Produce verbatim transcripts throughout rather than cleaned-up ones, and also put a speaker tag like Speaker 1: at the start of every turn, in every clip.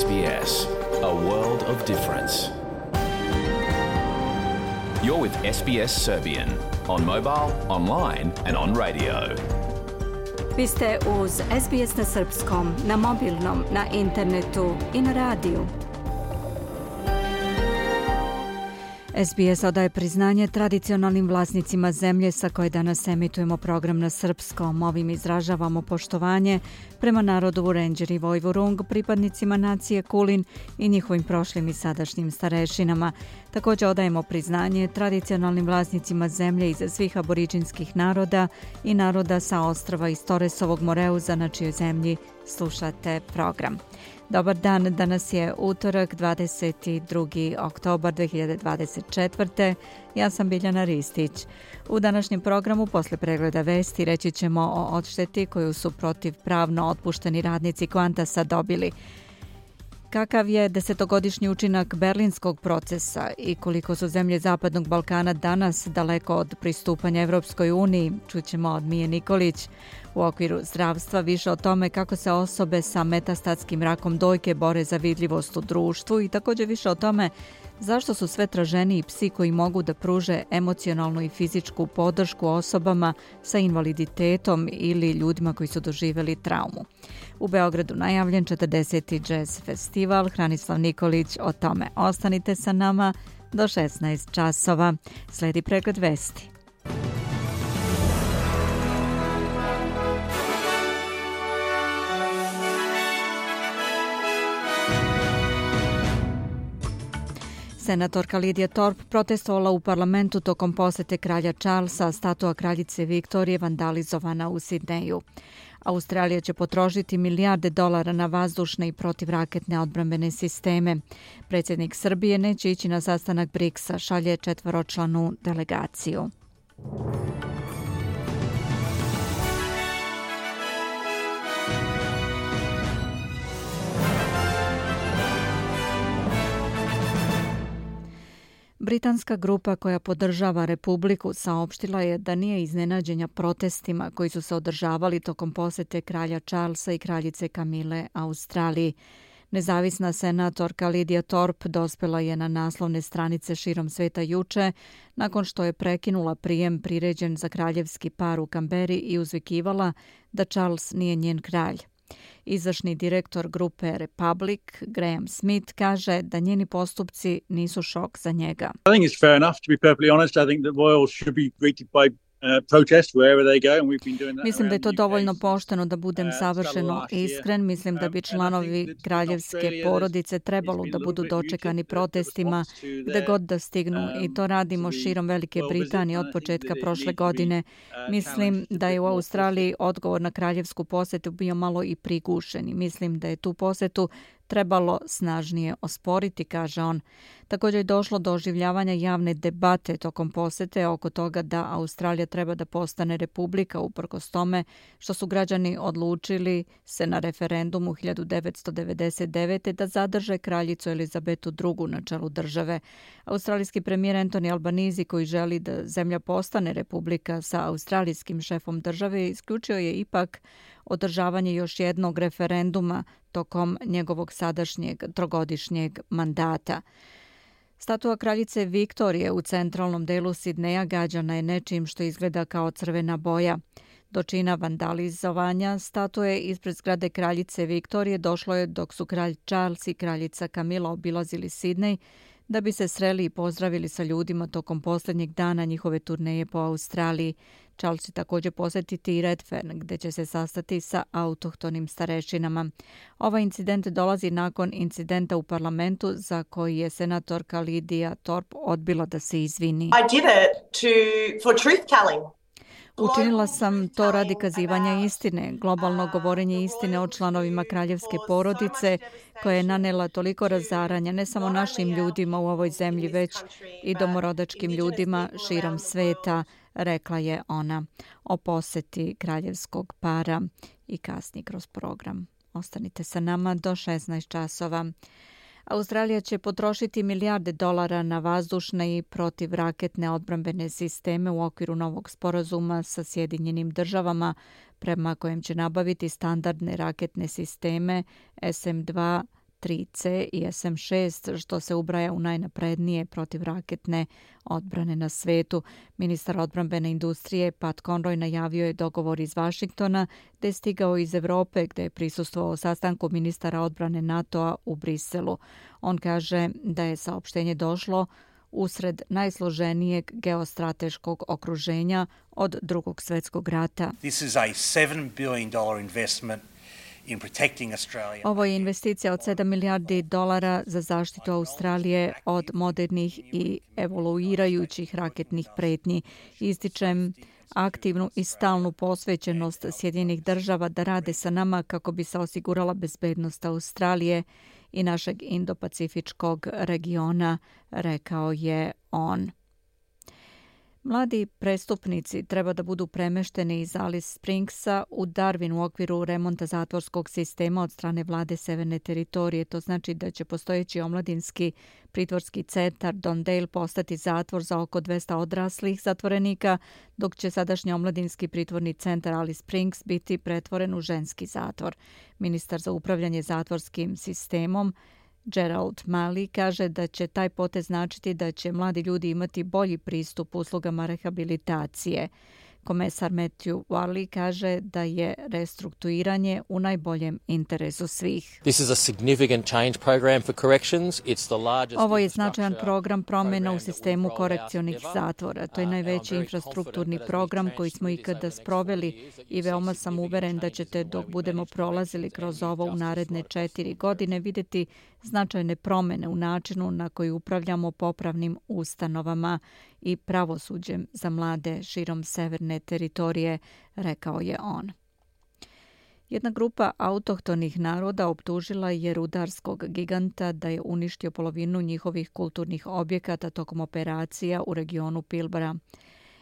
Speaker 1: S B S, a world of difference. You're with S B S Serbian on mobile, online and on radio.
Speaker 2: Vi ste uz S B S na srpskom, na mobilnom, na internetu i na radiju. S B S odaje priznanje tradicionalnim vlasnicima zemlje sa koje danas emitujemo program na srpskom. Ovim izražavamo poštovanje prema narodu Vurenđer i Vojvurung, pripadnicima nacije Kulin i njihovim prošlim i sadašnjim starešinama. Također odajemo priznanje tradicionalnim vlasnicima zemlje iz svih aboriđinskih naroda i naroda sa ostrva iz Toresovog Moreuza, na čijoj zemlji slušate program. Dobar dan, danas je utorak, dvadeset drugi oktobar dve hiljade dvadeset četvrte. Ja sam Biljana Ristić. U današnjem programu posle pregleda vesti reći ćemo o odšteti koju su protivpravno otpušteni radnici Qantasa dobili. Kakav je desetogodišnji učinak berlinskog procesa i koliko su zemlje Zapadnog Balkana danas daleko od pristupanja Evropskoj uniji, čućemo od Mije Nikolić. U okviru zdravstva više o tome kako se osobe sa metastatskim rakom dojke bore za vidljivost u društvu i također više o tome zašto su sve traženiji psi koji mogu da pruže emocionalnu i fizičku podršku osobama sa invaliditetom ili ljudima koji su doživjeli traumu. U Beogradu najavljen četrdeseti Jazz festival. Hranislav Nikolić o tome. Ostanite sa nama do šesnaest časova. Sledi pregled vesti. Senatorka Lidija Thorpe protestovala u parlamentu tokom posete kralja Charlesa, statua kraljice Viktorije vandalizovana u Sidneju. Australija će potrošiti milijarde dolara na vazdušne i protivraketne odbrambene sisteme. Predsjednik Srbije neće ići na sastanak briksa, šalje četvoročlanu delegaciju. Britanska grupa koja podržava Republiku saopštila je da nije iznenađenja protestima koji su se održavali tokom posete kralja Charlesa i kraljice Kamile Australiji. Nezavisna senatorka Lidija Thorpe dospela je na naslovne stranice širom sveta juče nakon što je prekinula prijem priređen za kraljevski par u Kamberi i uzvikivala da Charles nije njen kralj. Izvršni direktor grupe Republic, Graham Smith, kaže da njeni postupci nisu šok za njega.
Speaker 3: I think it's fair enough to be perfectly honest. I think that royals should be greeted by
Speaker 2: Mislim da je to dovoljno pošteno da budem savršeno iskren. Mislim da bi članovi kraljevske porodice trebalo da budu dočekani protestima gde god da stignu i to radimo širom Velike Britanije od početka prošle godine. Mislim da je u Australiji odgovor na kraljevsku posetu bio malo i prigušen i mislim da je tu posetu trebalo snažnije osporiti, kaže on. Također je došlo do oživljavanja javne debate tokom posete oko toga da Australija treba da postane republika uprkos tome što su građani odlučili se na referendumu hiljadu devetsto devedeset devete da zadrže kraljicu Elizabetu drugu na čelu države. Australijski premijer Anthony Albanese, koji želi da zemlja postane republika sa australijskim šefom države, isključio je ipak održavanje još jednog referenduma tokom njegovog sadašnjeg trogodišnjeg mandata. Statua kraljice Viktorije u centralnom delu Sidneja gađana je nečim što izgleda kao crvena boja. Do čina vandalizovanja statue ispred zgrade kraljice Viktorije došlo je dok su kralj Charles i kraljica Kamila obilazili Sidnej da bi se sreli i pozdravili sa ljudima tokom posljednjeg dana njihove turneje po Australiji. Charles će također posjetiti i Redfern, gdje će se sastati sa autohtonim starešinama. Ovaj incident dolazi nakon incidenta u parlamentu za koji je senatorka Lidija Thorpe odbila da se izvini.
Speaker 4: I did it to, for truth telling.
Speaker 2: Učinila sam to radi kazivanja istine, globalno govorenje istine o članovima kraljevske porodice koja je nanela toliko razaranja ne samo našim ljudima u ovoj zemlji, već i domorodačkim ljudima širom sveta, rekla je ona o poseti kraljevskog para i kasnije kroz program. Ostanite sa nama do šesnaest časova. Australija će potrošiti milijarde dolara na vazdušne i protivraketne odbrambene sisteme u okviru novog sporazuma sa Sjedinjenim državama, prema kojem će nabaviti standardne raketne sisteme S M dva tri ce i es em šest, što se ubraja u najnaprednije protivraketne odbrane na svetu. Ministar odbrambene industrije Pat Conroy najavio je dogovor iz Vašingtona, te je stigao iz Evrope, gde je prisustvovao sastanku ministara odbrane NATO-a u Briselu. On kaže da je saopštenje došlo usred najsloženijeg geostrateškog okruženja od Drugog svjetskog rata.
Speaker 5: This is a seven billion dollars investment in protecting Australia.
Speaker 2: Ovo je investicija od sedam milijardi dolara za zaštitu Australije od modernih i evoluirajućih raketnih pretnji. Ističem aktivnu i stalnu posvećenost Sjedinjenih država da rade sa nama kako bi se osigurala bezbednost Australije i našeg Indo-Pacifičkog regiona, rekao je on. Mladi prestupnici treba da budu premešteni iz Alice Springsa u Darwin u okviru remonta zatvorskog sistema od strane vlade Severne teritorije. To znači da će postojeći omladinski pritvorski centar Don Dale postati zatvor za oko dvesta odraslih zatvorenika, dok će sadašnji omladinski pritvorni centar Alice Springs biti pretvoren u ženski zatvor. Ministar za upravljanje zatvorskim sistemom Gerald Malley kaže da će taj potez značiti da će mladi ljudi imati bolji pristup uslugama rehabilitacije. Komesar Matthew Warley kaže da je restrukturiranje u najboljem interesu svih.
Speaker 6: This is a significant change program for corrections. It's the largest.
Speaker 2: Ovo je značajan program promjena u sistemu korekcionih zatvora. To je najveći infrastrukturni program koji smo ikada sproveli i veoma sam uveren da ćete dok budemo prolazili kroz ovo u naredne četiri godine vidjeti značajne promjene u načinu na koji upravljamo popravnim ustanovama i pravosuđem za mlade širom Severne teritorije, rekao je on. Jedna grupa autohtonih naroda optužila je rudarskog giganta da je uništio polovinu njihovih kulturnih objekata tokom operacija u regionu Pilbara.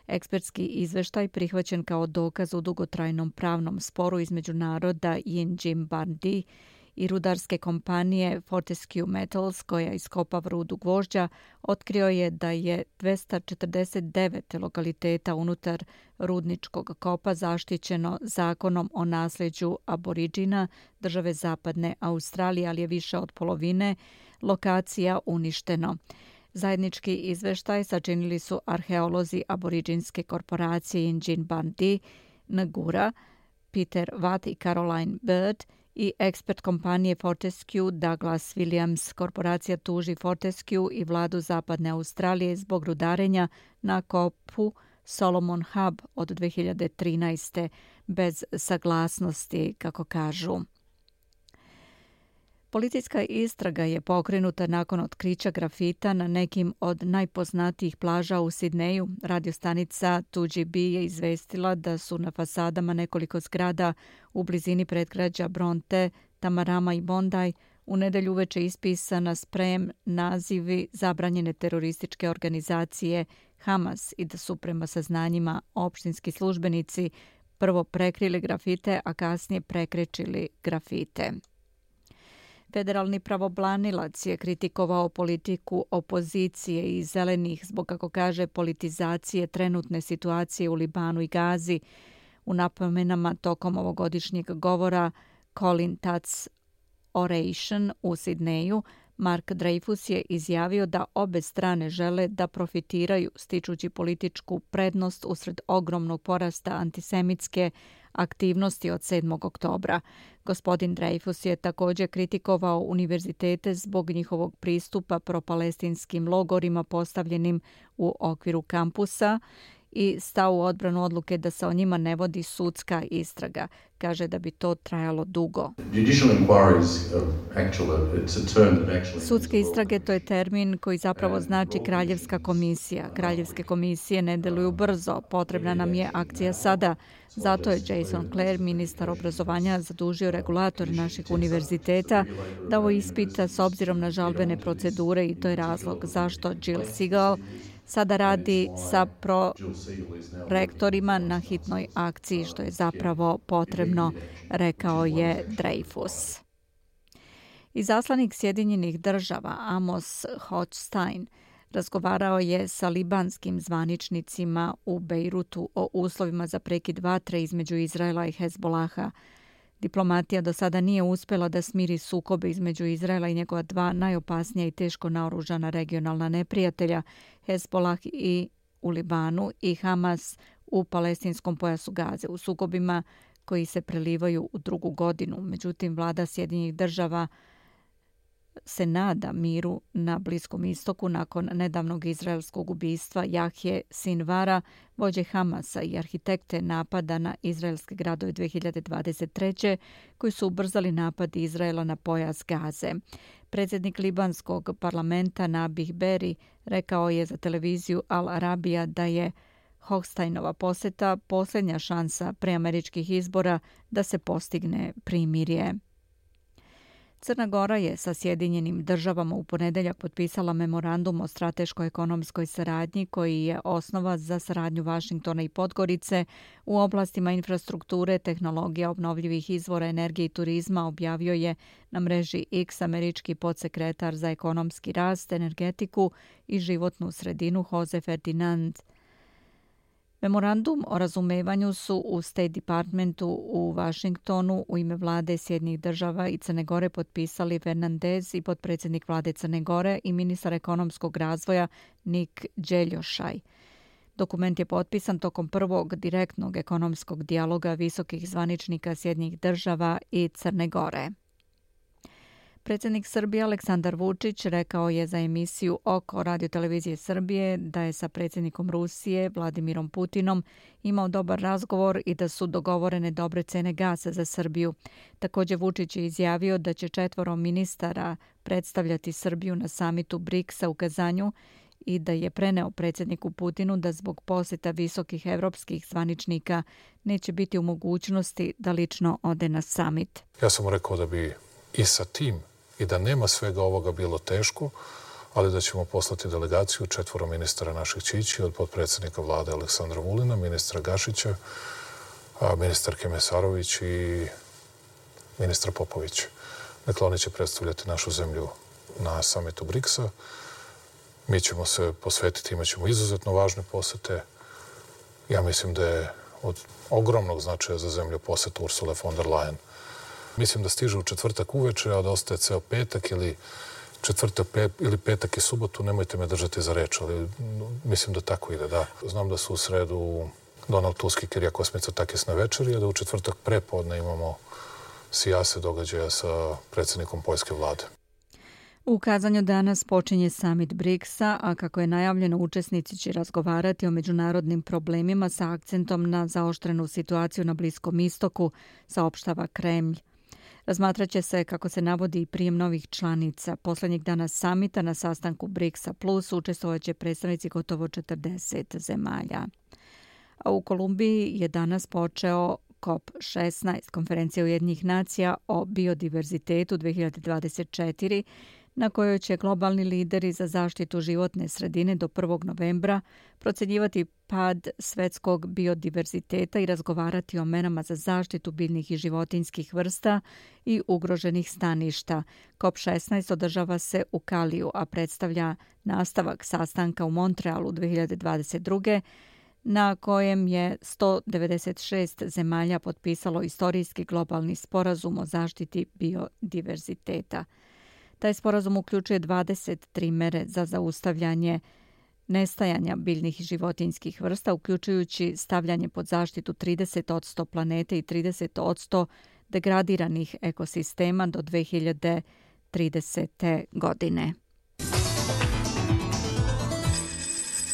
Speaker 2: Ekspertski izveštaj prihvaćen kao dokaz u dugotrajnom pravnom sporu između naroda Yinjim Bardi i rudarske kompanije Fortescue Metals, koja iskopava rudu gvožđa, otkrio je da je dvesta četrdeset devet lokaliteta unutar rudničkog kopa zaštićeno zakonom o nasljeđu aboriđina države Zapadne Australije, ali je više od polovine lokacija uništeno. Zajednički izveštaj sačinili su arheolozi aboriđinske korporacije Yinjin Bardi, Ngura, Peter Watt i Caroline Bird, i ekspert kompanije Fortescue Douglas Williams. Korporacija tuži Fortescue i vladu Zapadne Australije zbog rudarenja na kopu Solomon Hub od dve hiljade trinaeste bez saglasnosti, kako kažu. Policijska istraga je pokrenuta nakon otkrića grafita na nekim od najpoznatijih plaža u Sidneju. Radiostanica two G B je izvestila da su na fasadama nekoliko zgrada u blizini predgrađa Bronte, Tamarama i Bondi u nedelju uveče ispisana sprejem nazivi zabranjene terorističke organizacije Hamas i da su prema saznanjima opštinski službenici prvo prekrili grafite, a kasnije prekrečili grafite. Federalni pravobranilac je kritikovao politiku opozicije i zelenih zbog, kako kaže, politizacije trenutne situacije u Libanu i Gazi. U napomenama tokom ovogodišnjeg govora Colin Tatz Oration u Sidneju, Mark Dreyfus je izjavio da obe strane žele da profitiraju stičući političku prednost usred ogromnog porasta antisemitske aktivnosti od sedmog oktobra. Gospodin Dreyfus je također kritikovao univerzitete zbog njihovog pristupa propalestinskim logorima postavljenim u okviru kampusa i stao u odbranu odluke da se o njima ne vodi sudska istraga. Kaže da bi to trajalo dugo. Sudske istrage, to je termin koji zapravo znači kraljevska komisija. Kraljevske komisije ne deluju brzo. Potrebna nam je akcija sada. Zato je Jason Clare, ministar obrazovanja, zadužio regulator naših univerziteta da ovo ispita s obzirom na žalbene procedure i to je razlog zašto Jill Segal sada radi sa prorektorima na hitnoj akciji, što je zapravo potrebno, rekao je Dreyfus. Izaslanik Sjedinjenih država Amos Hochstein razgovarao je sa libanskim zvaničnicima u Bejrutu o uslovima za prekid vatre između Izraela i Hezbolaha. Diplomatija do sada nije uspjela da smiri sukobe između Izraela i njegova dva najopasnija i teško naoružana regionalna neprijatelja, Hezbollah i u Libanu i Hamas u palestinskom pojasu Gaze, u sukobima koji se prelivaju u drugu godinu. Međutim, vlada Sjedinjenih država se nada miru na Bliskom istoku nakon nedavnog izraelskog ubistva Jahje Sinvara, vođe Hamasa i arhitekte napada na izraelske gradove dvije hiljade dvadeset treće koji su ubrzali napad Izraela na pojas Gaze. Predsjednik libanskog parlamenta Nabih Berri rekao je za televiziju Al Arabija da je Hochsteinova posjeta posljednja šansa pre američkih izbora da se postigne primirje. Crna Gora je sa Sjedinjenim državama u ponedjeljak potpisala memorandum o strateško-ekonomskoj saradnji koji je osnova za saradnju Vašingtona i Podgorice u oblastima infrastrukture, tehnologija, obnovljivih izvora energije i turizma, objavio je na mreži X američki podsekretar za ekonomski rast, energetiku i životnu sredinu Jose Ferdinand. Memorandum o razumevanju su u State Departmentu u Vašingtonu u ime vlade Sjedinjenih država i Crne Gore potpisali Fernandez i potpredsjednik vlade Crne Gore i ministar ekonomskog razvoja Nik Đeljošaj. Dokument je potpisan tokom prvog direktnog ekonomskog dijaloga visokih zvaničnika Sjedinjenih država i Crne Gore. Predsjednik Srbije Aleksandar Vučić rekao je za emisiju Oko radiotelevizije Srbije da je sa predsjednikom Rusije Vladimirom Putinom imao dobar razgovor i da su dogovorene dobre cene gasa za Srbiju. Također Vučić je izjavio da će četvoro ministara predstavljati Srbiju na samitu briksa u Kazanju i da je preneo predsjedniku Putinu da zbog posjeta visokih evropskih zvaničnika neće biti u mogućnosti da lično ode na samit.
Speaker 7: Ja sam mu rekao da bi i sa tim i da nema svega ovoga bilo teško, ali da ćemo poslati delegaciju četvoro ministara naših čići od potpredsjednika vlade Aleksandra Vulina, ministra Gašića, ministarke Mesarović i ministra Popovića. Dakle, oni će predstavljati našu zemlju na samitu briksa. Mi ćemo se posvetiti, imat ćemo izuzetno važne posete. Ja mislim da je od ogromnog značaja za zemlju poseta Ursule von der Leyen. Mislim da stiže u četvrtak uveče, a da ostaje ceo petak ili četvrtak pe, ili petak i subotu. Nemojte me držati za reč, ali mislim da tako ide, da. Znam da su u sredu Donald Tusk i Kirija Kosmica Takis na večeri, a da u četvrtak prepodne imamo sijase događaja sa predsjednikom poljske vlade.
Speaker 2: U Kazanju danas počinje summit briksa, a kako je najavljeno, učesnici će razgovarati o međunarodnim problemima sa akcentom na zaoštrenu situaciju na Bliskom istoku, saopštava Kremlj. Razmatraće se, kako se navodi, i prijem novih članica. Posljednjeg dana samita na sastanku briksa plus učestvovaće predstavnici gotovo četrdeset zemalja. A u Kolumbiji je danas počeo kop šesnaest, konferencija Ujedinjenih nacija o biodiverzitetu dvije hiljade dvadeset četiri, na kojoj će globalni lideri za zaštitu životne sredine do prvog novembra procjenjivati pad svetskog biodiverziteta i razgovarati o merama za zaštitu biljnih i životinjskih vrsta i ugroženih staništa. kop šesnaest održava se u Kaliju, a predstavlja nastavak sastanka u Montrealu dvije hiljade dvadeset druge na kojem je sto devedeset šest zemalja potpisalo istorijski globalni sporazum o zaštiti biodiverziteta. Taj sporazum uključuje dvadeset tri mere za zaustavljanje nestajanja biljnih i životinjskih vrsta, uključujući stavljanje pod zaštitu trideset posto planete i trideset posto degradiranih ekosistema do dvije hiljade tridesete. godine.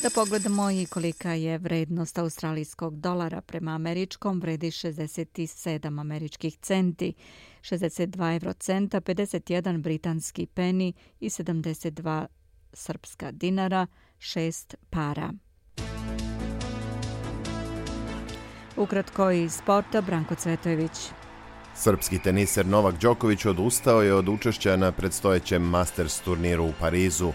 Speaker 2: Da pogledamo i kolika je vrednost australijskog dolara prema američkom, vredi šezdeset sedam američkih centi, šezdeset dva evrocenta, pedeset jedan britanski peni i sedamdeset dva srpska dinara, šest para. Ukratko iz sporta, Branko Cvetojević.
Speaker 8: Srpski teniser Novak Đoković odustao je od učešća na predstojećem Masters turniru u Parizu.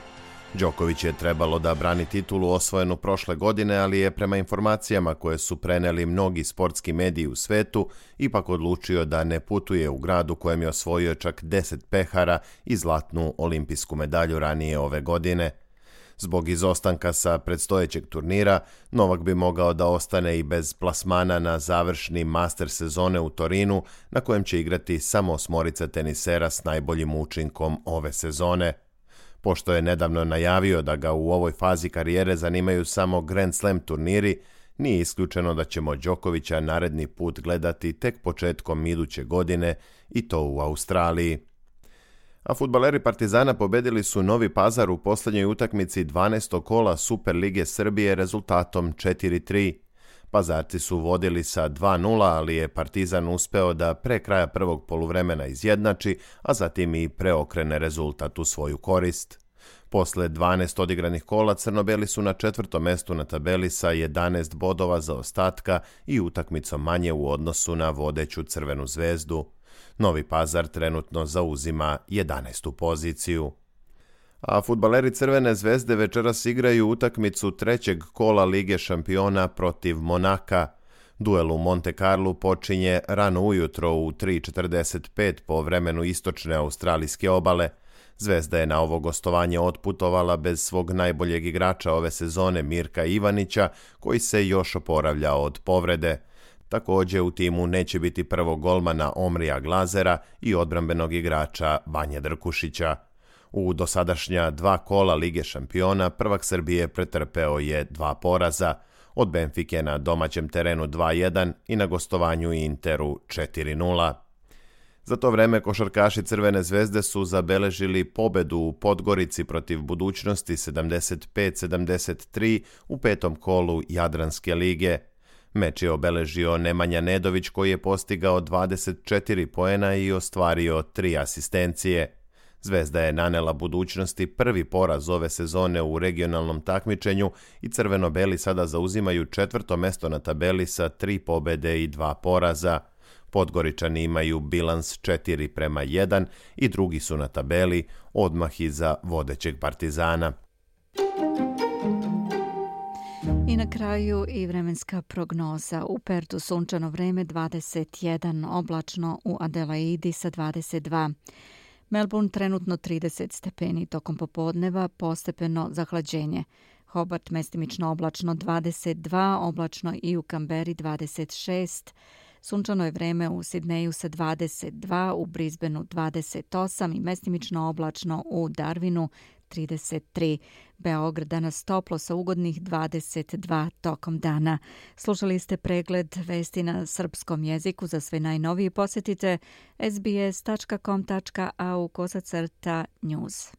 Speaker 8: Đoković je trebalo da brani titulu osvojenu prošle godine, ali je prema informacijama koje su preneli mnogi sportski mediji u svetu ipak odlučio da ne putuje u grad u kojem je osvojio čak deset pehara i zlatnu olimpijsku medalju ranije ove godine. Zbog izostanka sa predstojećeg turnira, Novak bi mogao da ostane i bez plasmana na završni master sezone u Torinu, na kojem će igrati samo osmorica tenisera s najboljim učinkom ove sezone. Pošto je nedavno najavio da ga u ovoj fazi karijere zanimaju samo Grand Slam turniri, nije isključeno da ćemo Đokovića naredni put gledati tek početkom iduće godine i to u Australiji. A fudbaleri Partizana pobedili su Novi Pazar u posljednjoj utakmici dvanaestog kola Super lige Srbije rezultatom četiri tri. Pazarci su vodili sa dva nula, ali je Partizan uspeo da pre kraja prvog poluvremena izjednači, a zatim i preokrene rezultat u svoju korist. Posle dvanaest odigranih kola crno-beli su na četvrtom mestu na tabeli sa jedanaest bodova zaostatka i utakmicom manje u odnosu na vodeću Crvenu zvezdu. Novi Pazar trenutno zauzima jedanaestu poziciju. A fudbaleri Crvene zvezde večeras igraju utakmicu trećeg kola Lige šampiona protiv Monaka. Duel u Monte Carlu počinje rano ujutro u tri četrdeset pet po vremenu istočne australijske obale. Zvezda je na ovo gostovanje otputovala bez svog najboljeg igrača ove sezone Mirka Ivanića, koji se još oporavlja od povrede. Također u timu neće biti prvog golmana Omrija Glazera i odbrambenog igrača Vanje Drkušića. U dosadašnja dva kola Lige šampiona prvak Srbije pretrpeo je dva poraza, od Benfike na domaćem terenu dva jedan i na gostovanju Interu četiri nula. Za to vreme košarkaši Crvene zvezde su zabeležili pobedu u Podgorici protiv Budućnosti sedamdeset pet sedamdeset tri u petom kolu Jadranske lige. Meč je obeležio Nemanja Nedović koji je postigao dvadeset četiri poena i ostvario tri asistencije. Zvezda je nanela Budućnosti prvi poraz ove sezone u regionalnom takmičenju i crveno-beli sada zauzimaju četvrto mesto na tabeli sa tri pobede i dva poraza. Podgoričani imaju bilans četiri prema jedan i drugi su na tabeli odmah iza vodećeg Partizana.
Speaker 2: I na kraju i vremenska prognoza. U Pertu sunčano vreme dvadeset jedan, oblačno u Adelaidi sa dvadeset dva. Melbourne trenutno trideset stepeni, tokom popodneva postepeno zahlađenje. Hobart mestimično oblačno dvadeset dva, oblačno i u Kamberi dvadeset šest. Sunčano je vreme u Sidneju sa dvadeset dva, u Brisbaneu dvadeset osam i mestimično oblačno u Darwinu trideset tri. Beograd danas toplo sa ugodnih dvadeset dva tokom dana. Slušali ste pregled vesti na srpskom jeziku. Za sve najnovije posjetite s b s tačka com tačka a u kosacrta news.